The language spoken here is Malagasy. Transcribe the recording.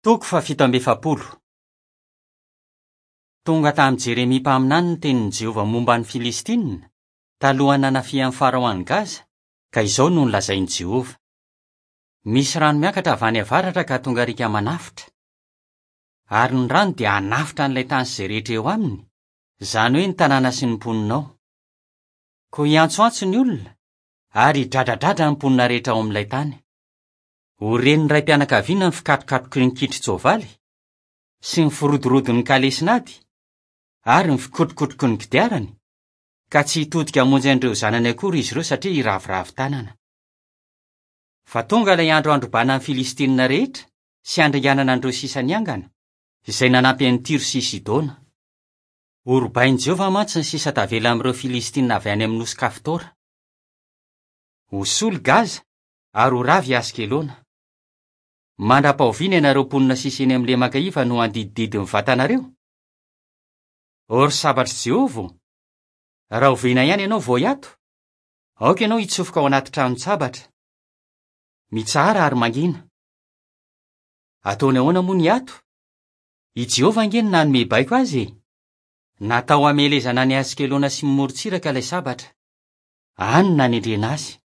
Toko faha-47. Tonga tamin'i Jeremia mpaminany ny tenin'i Jehovah momba ny Filistinina, talohan'ny nanafihan'i Farao an'i Gaza, ka izao no nolazain'i Jehovah, Misy rano miakatra avy any avaratra ka tonga riaka manafotra. Ary ny rano dia hanafotra an'ilay tany sy izay rehetra eo aminy, izany hoe ny tanàna sy ny mponina ao. Koa hiantsoantso ny olona, ary hidradradradra ny mponina rehetra ao amin'ilay tany. Ho ren'ny raim-pianakaviana ny fikatrokatroky ny kitron-tsoavaly, sy ny firodorodon'ny kalesin'ady, ary ny fikotrokotroky ny kodiarany, ka tsy hitodika hamonjy an'ireo zanany akory izy ireo satria hiraviravy tanana. Fa tonga ilay andro handrobana ny Filistinina rehetra sy handringanana an'ireo sisa niangana, izay nanampy an'i Tyro sy Sidona. Horobain'i Jehovah mantsy ny sisa tavela amin'ireo Filistinina avy any amin'ny nosy Kaftora. Ho sola i Gaza ary ho rava i Askelona. Mandra-pahoviana ianareo mponina sisa eny amin'ny lemaka iva no handidididy ny vatanareo? Ô ry sabatr'i Jehovah ô, rahoviana ihany ianao vao hiato? Aoka ianao hitsofoka ao anaty tranon-tsabatra. Mitsahara ary mangina. Ataony ahoana moa ny hiato? I Jehovah ange no nanome baiko azy e! Natao hamelezana an'i Askelona sy ny morontsiraka ilay sabatra. Any no nanendrena azy.